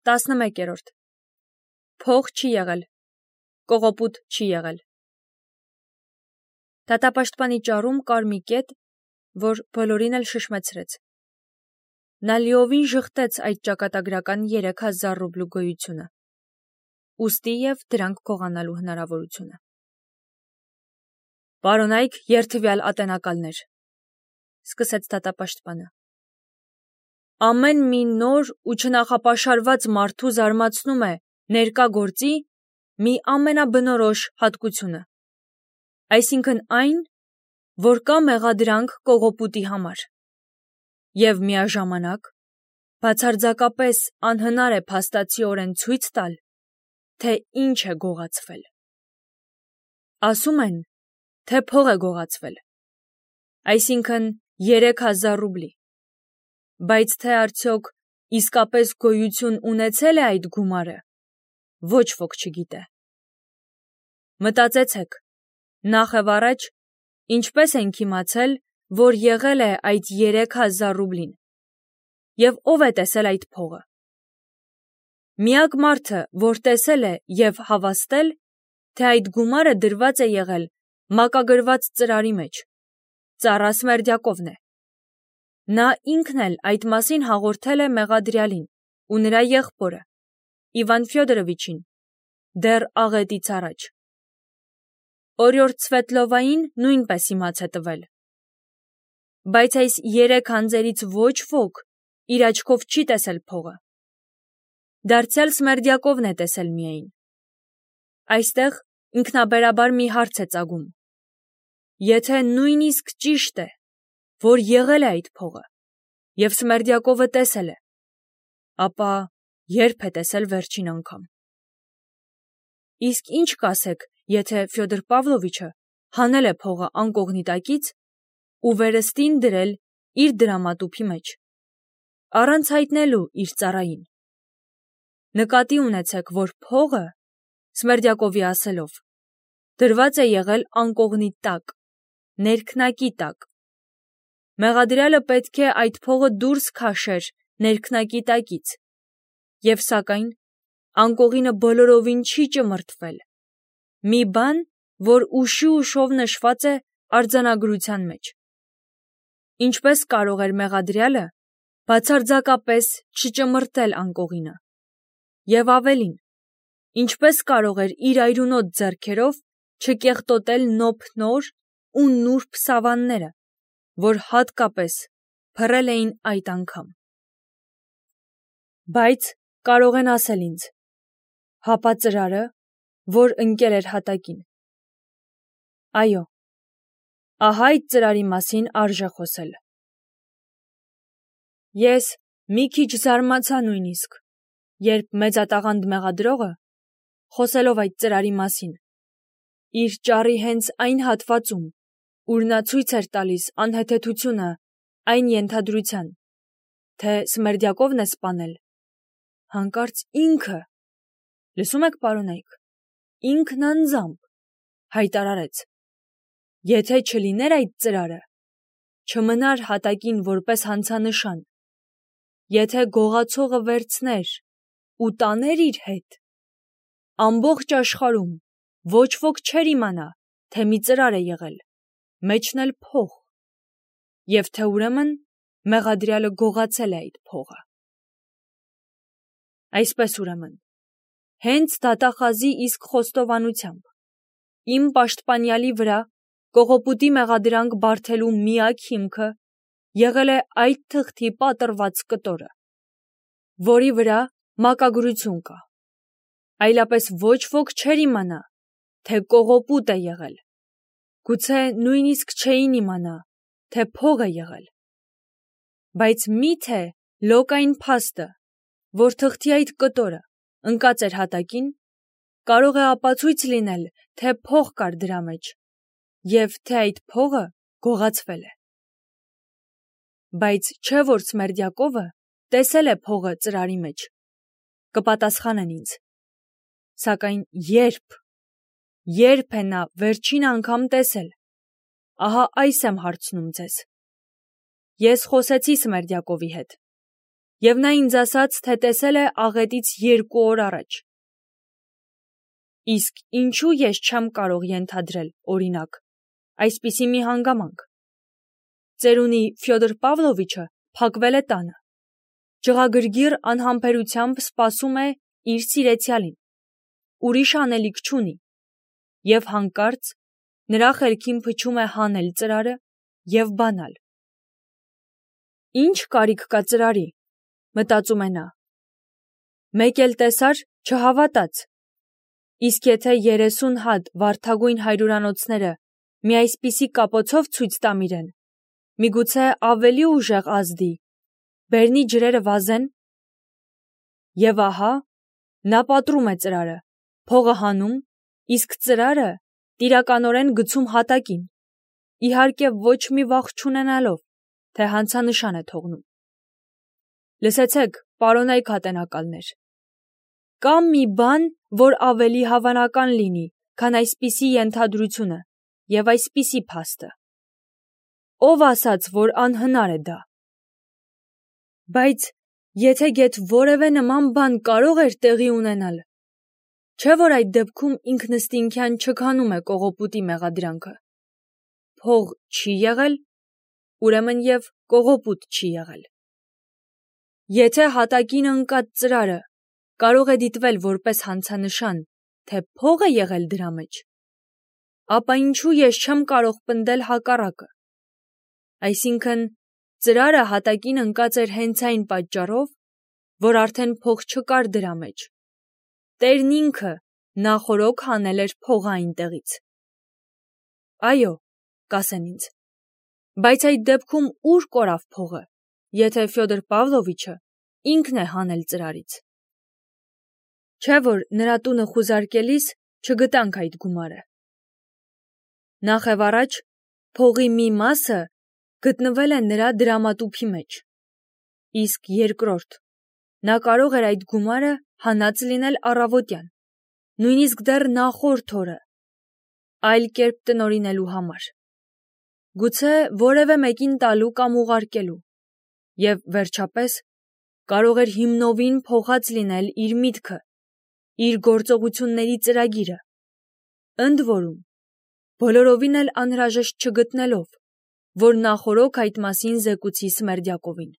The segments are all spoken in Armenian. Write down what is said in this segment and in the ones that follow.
11. Փող չի եղել, կողոպուտ չի եղել։ Դատապաշտպանի ճառում կար մի կետ, որ բոլորին էլ շշմեցրեց։ Նա լիովին ժխտեց այդ ճակատագրական 3000 ռուբլու գոյությունը, ուստի և դրանք գողանալու հնարավորությունը։ Պարոնայք երթվյալ ատենակալներ, սկսեց դատապաշտպանը։ Ամեն մի նոր ու չնախապաշարված մարդու զարմացնում է ներկա գործի մի ամենաբնորոշ հատկությունը, այսինքն այն, որ կա մեղադրանք կողոպուտի համար, և միաժամանակ բացարձակապես անհնար է փաստացիորեն ցույց տալ, թե ինչ է գողացվել։ Ասում են, թե փող է գողացվել, այսինքն 3000 ռուբլի, բայց թե արդյոք իսկապես գոյություն ունեցել է այդ գումարը, ոչ ոք չգիտե։ Մտածեցեք, նախ և առաջ, ինչպես ենք իմացել, որ եղել է այդ 3000 ռուբլին, և ով է տեսել այդ փողը։ Միակ մարդը, որ տեսել է և հավաստել, թե այդ գումարը դրված է եղել մակագրված ծրարի մեջ, Ծառա Սմերդյակովն է։ Նա ինքն էլ այդ մասին հաղորդել է մեղադրյալին ու նրա եղբորը, Իվան Ֆյոդորովիչին, դեռ աղետից առաջ։ Օրիորդ Սվետլովային նույնպես իմաց է տվել։ Բայց այս 3 անձերից ոչ ոք իր աչքով չի տեսել փողը։ Դարձյալ Սմերդյակովն է տեսել միայն։ Այստեղ ինքնաբերաբար մի հարց է ծագում. եթե նույնիսկ ճիշտ է, որ եղել է այդ փողը, և Սմերդյակովը տեսել է, ապա երբ է տեսել վերջին անգամ։ Իսկ ինչ կասեք, եթե Ֆյոդոր Պավլովիչը հանել է փողը անկողնիտակից ու վերստին դրել իր դրամատուփի մեջ, առանց հայտնելու իր ծառային։ Նկատի ունեցեք, որ փողը, Սմերդյակովի ասելով, դրված է եղել անկողնի տակ, ներքնակի տակ։ Մեղադրյալը պետք է այդ փողը դուրս քաշեր ներքնակի տակից, և սակայն անկողինը բոլորովին չի ճմրթվել, մի բան, որ ուշի ուշով նշված է արձանագրության մեջ։ Ինչպես կարող էր մեղադրյալը բացարձակապես չճմրթել անկողինը։ Եվ ավելին, ինչպես կարող էր իր այրունոտ ձեռքերով չկեղտոտել նոփնոր ու նուրբ սավանները, որ հատկապես փռել էին այդ անգամ։ Բայց կարող են ասել ինձ. հապա ծրարը, որ ընկել էր հատակին։ Այո, ահա այդ ծրարի մասին արժե խոսել։ Ես մի քիչ զարմացա նույնիսկ, երբ մեծատաղանդ մեղադրողը, խոսելով այդ ծրարի մասին, իր ճառի հենց այն հատվածում, ուր նա ցույց էր տալիս անհեթեթությունը այն ենթադրության, թե Սմերդյակովն է սպանել, հանկարծ ինքը, լսում եք, պարոնայք, ինքն անձամբ հայտարարեց. եթե չլիներ այդ ծրարը, չմնար հատակին որպես հանցանշան, եթե գողացողը վերցներ ու տաներ իր հետ, ամբողջ աշխարհում ոչ ոք չէր իմանա, թե մի ծրար է եղել, մեջն էլ փող, և թե ուրեմն մեղադրյալը գողացել է այդ փողը։ Այսպես ուրեմն, հենց դատախազի իսկ խոստովանությամբ, իմ պաշտպանյալի վրա կողոպուտի մեղադրանք բարդելու միակ հիմքը եղել է այդ թղթի պատռված կտորը, որի վրա մակագրություն կա, այլապես ոչ ոք չէր իմանա, թե կողոպուտ է եղել, գուցե նույնիսկ չէին իմանա, թե փող է եղել։ Բայց միթե լոկ այն փաստը, որ թղթի այդ կտորը ընկած էր հատակին, կարող է ապացույց լինել, թե փող կար դրա մեջ, և թե այդ փողը գողացվել է։ Բայց չէ՞ որ Սմերդյակովը տեսել է փողը ծրարի մեջ, կպատասխանեն ինձ։ Սակայն երբ է նա վերջին անգամ տեսել, ահա այս եմ հարցնում ձեզ։ Ես խոսեցի Սմերդյակովի հետ, Եվ նա ինձ ասաց, թե տեսել է աղետից 2 օր առաջ։ Իսկ ինչու ես չեմ կարող ենթադրել, օրինակ, այսպիսի մի հանգամանք։ Ծերունի Ֆյոդոր Պավլովիչը փակվել է տանը։ Ջղագրգիռ անհամբերությամբ սպասում է իր սիրեցյալին, ուրիշ անելիք չունի, և հանկարծ նրա խելքին փչում է հանել ծրարը և բանալ։ Ինչ կարիք կա ծրարի, մտածում է նա։ Մեկ էլ տեսար, չհավատաց։ Իսկ եթե 30 հատ վարդագույն հայրուրանոցները մի այսպիսի կապոցով ցույց տամ իրեն, միգուցե ավելի ուժեղ ազդի, բերնի ջրերը վազեն։ Եվ ահա, նա պատռում է ծրարը, փողը հանում, իսկ ծրարը տիրականորեն գցում հատակին, իհարկե ոչ մի վախ չունենալով, թե հանցանշան է թողնում։ Լսեցեք, պարոնայք ատենակալներ, կա մի բան, որ ավելի հավանական լինի, քան այսպիսի ենթադրությունը և այսպիսի փաստը։ Ով ասաց, որ անհնար է դա։ Բայց եթե գեթ որևէ նման բան կարող էր տեղի ունենալ, չէ՞ որ այդ դեպքում ինքնըստինքյան չքանում է կողոպուտի մեղադրանքը։ Փող չի եղել, ուրեմն և կողոպուտ չի եղել։ Եթե հատակին ընկած ծրարը կարող է դիտվել որպես հանցանշան, թե փող է եղել դրա մեջ, ապա ինչու ես չեմ կարող պնդել հակառակը։ Այսինքն, ծրարը հատակին ընկած էր հենց այն պատճառով, որ արդեն փող չկար դրա մեջ։ Տերն ինքը նախօրոք հանել էր փողը այնտեղից։ Այո, կասեն ինձ, բայց այդ դեպքում ուր կորավ փողը, եթե Ֆյոդոր Պավլովիչը ինքն է հանել ծրարից։ Չէ՞ որ նրա տունը խուզարկելիս չգտանք այդ գումարը։ Նախևառաջ, փողի մի մասը գտնվել է նրա դրամատուփի մեջ, իսկ երկրորդ, նա կարող էր այդ գումարը հանած լինել առավոտյան, նույնիսկ դեռ նախորդ օրը, այլ կերպ տնօրինելու համար, գուցե որևէ մեկին տալու կամ ուղարկելու, և վերջապես կարող էր հիմնովին փոխած լինել իր միտքը, իր գործողությունների ծրագիրը, ընդ որում, բոլորովին էլ անհրաժեշտ չգտնելով, որ նախօրոք այդ մասին զեկուցի Սմերդյակովին։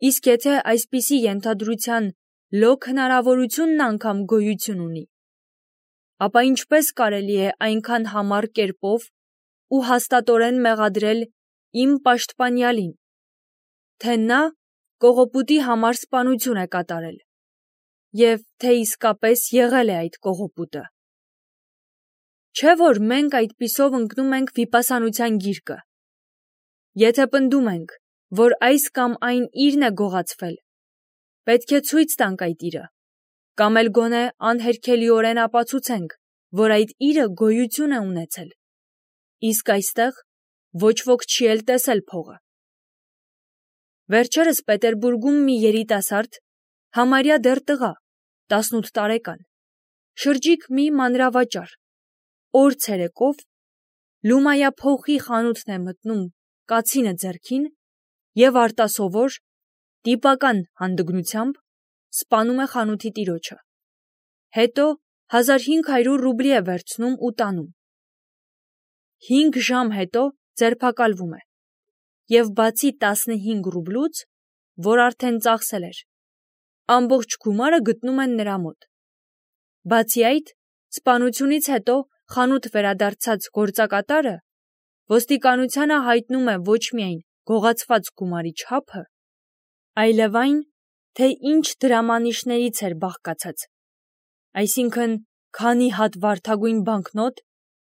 Իսկ եթե այսպիսի ենթադրության լոկ հնարավորությունն անգամ գոյություն ունի, ապա ինչպես կարելի է այնքան համառ կերպով ու հաստատորեն մեղադրել իմ պաշտպանյալին, թե նա կողոպուտի համար սպանություն է կատարել, և թե իսկապես եղել է այդ կողոպուտը։ Չէ՞ որ մենք այդպիսով ընկնում ենք վիպասանության գիրկը։ Եթե պնդում ենք, որ այս կամ այն իրն է գողացվել, պետք է ցույց տանք այդ իրը, կամ էլ գոնե անհերքելիորեն ապացուցենք, որ այդ իրը գոյություն է ունեցել, իսկ այստեղ ոչ ոք չի էլ տեսել փողը։ Վերջերս Պետերբուրգում մի երիտասարդ, համարյա դեռ տղա, 18 տարեկան, շրջիկ մի մանրավաճառ, օր ցերեկով Լումայա փողի խանութն է մտնում կացինը ձեռքին և արտասովոր, տիպական հանդգնությամբ սպանում է խանութի տիրոջը։ Հետո 1500 ռուբլի է վերցնում ու տանում։ 5 ժամ հետո ձերբակալվում է, և բացի 15 ռուբլուց, որ արդեն ծախսել էր, ամբողջ գումարը գտնում են նրա մոտ։ Բացի այդ, սպանությունից հետո խանութ վերադարձած գործակատարը ոստիկանությանը հայտնում է ոչ միայն գողացված գումարի չափը, այլև այն, թե ինչ դրամանիշներից էր բաղկացած, այսինքն քանի հատ վարդագույն բանկնոտ,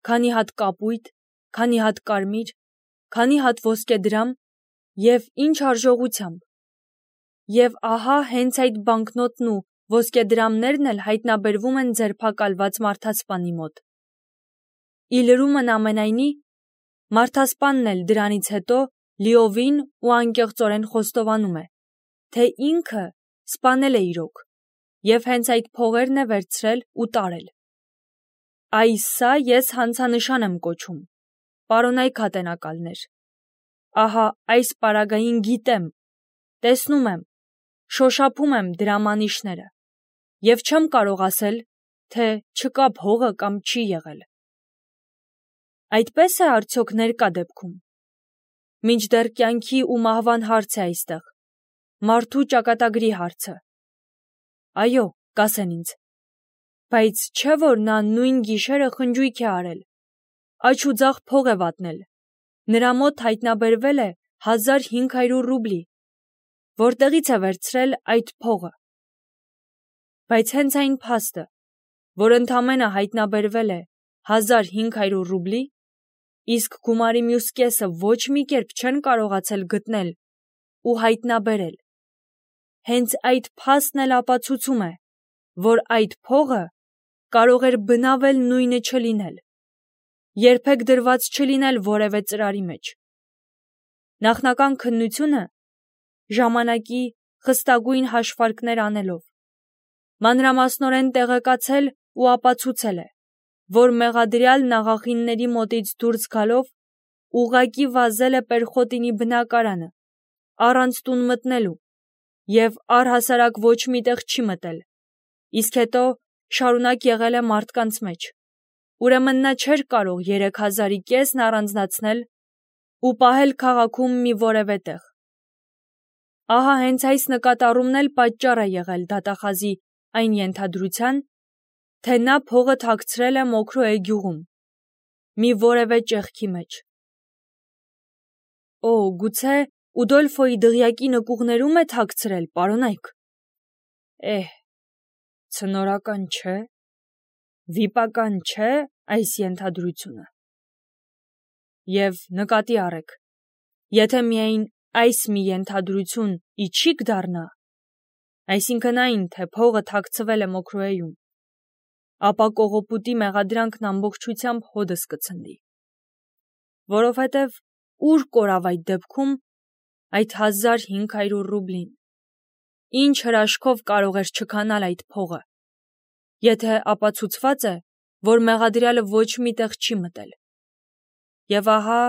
քանի հատ կապույտ, քանի հատ կարմիր, քանի հատ ոսկեդրամ և ինչ արժողությամբ։ Եվ ահա հենց այդ բանկնոտն ու ոսկեդրամներն էլ հայտնաբերվում են ձերբակալված մարդասպանի մոտ։ Ի լրումն ամենայնի, մարդասպանն էլ դրանից հետո լիովին ու անկեղծորեն խոստովանում է, թե ինքը սպանել է իրոք, և հենց այդ փողերն է վերցրել ու տարել։ Այս սա ես հանցանշան եմ կոչում, պարոնայք ատենակալներ։ Ահա այս պարագային գիտեմ, տեսնում եմ, շոշափում եմ դրամանիշները և չեմ կարող ասել, թե չկա փողը կամ չի եղել։ Այդպես է արդյոք ներկա դեպքում։ Մինչդեռ կյանքի ու մահվան հարց է այստեղ, մարդու ճակատագրի հարցը։ Այո, կասեն ինձ, բայց չէ՞ որ նա նույն գիշերը խնջույք է արել, աջ ու ձախ փող է վատնել, նրա մոտ հայտնաբերվել է 1500 ռուբլի, որտեղից է վերցրել այդ փողը։ Բայց հենց այն փաստը, որ ընդամենը հայտնաբերվել է 1500 ռուբլի, իսկ գումարի մյուս կեսը ոչ մի կերպ չեն կարողացել գտնել ու հայտնաբերել, հենց այդ փաստն էլ ապացուցում է, որ այդ փողը կարող էր բնավել նույնը չլինել, երբեք դրված չլինել որևէ ծրարի մեջ։ Նախնական քննությունը ժամանակի խստագույն հաշվարկներ անելով, մանրամասնորեն տեղեկացել ու ապացուցել է, որ մեղադրյալն աղախինների մոտից դուրս գալով ուղղակի վազել է Պերխոտինի բնակարանը, առանց տուն մտնելու և առհասարակ ոչ միտեղ չի մտել, իսկ հետո շարունակ եղել է մարդկանց մեջ, ուրեմն նա չէր կարող 3000-ի կեսն առանձնացնել ու պահել քաղաքում մի որևէ տեղ։ Ահա հենց այս նկատառումն էլ պատճառ է եղել դատախազի այն ենթադրության, թե նա փողը թաքցրել է Մոքրոյե գյուղում, մի որևէ ճեղքի մեջ։ Օ, գուցե Ուդոլֆոյի դղյակի նկուղներում է թաքցրել, պարոնայք։ Ցնորական չէ, վիպական չէ այս ենթադրությունը։ Եվ նկատի առեք, եթե միայն այս մի ենթադրություն իչիք դառնա, այսինքն այն, թե փողը թաքցվել է Մոքրոյեում, ապա կողոպուտի մեղադրանքն ամբողջությամբ հոդս կցնդի, որովհետև ուր կորավ այդ դեպքում այդ 1500 ռուբլին, ինչ հրաշքով կարող էր չքանալ այդ փողը, եթե ապացուցված է, որ մեղադրյալը ոչ մի տեղ չի մտել։ Եվ ահա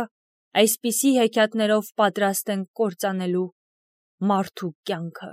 այսպիսի հեքիաթներով պատրաստ են կործանելու մարդու կյանքը։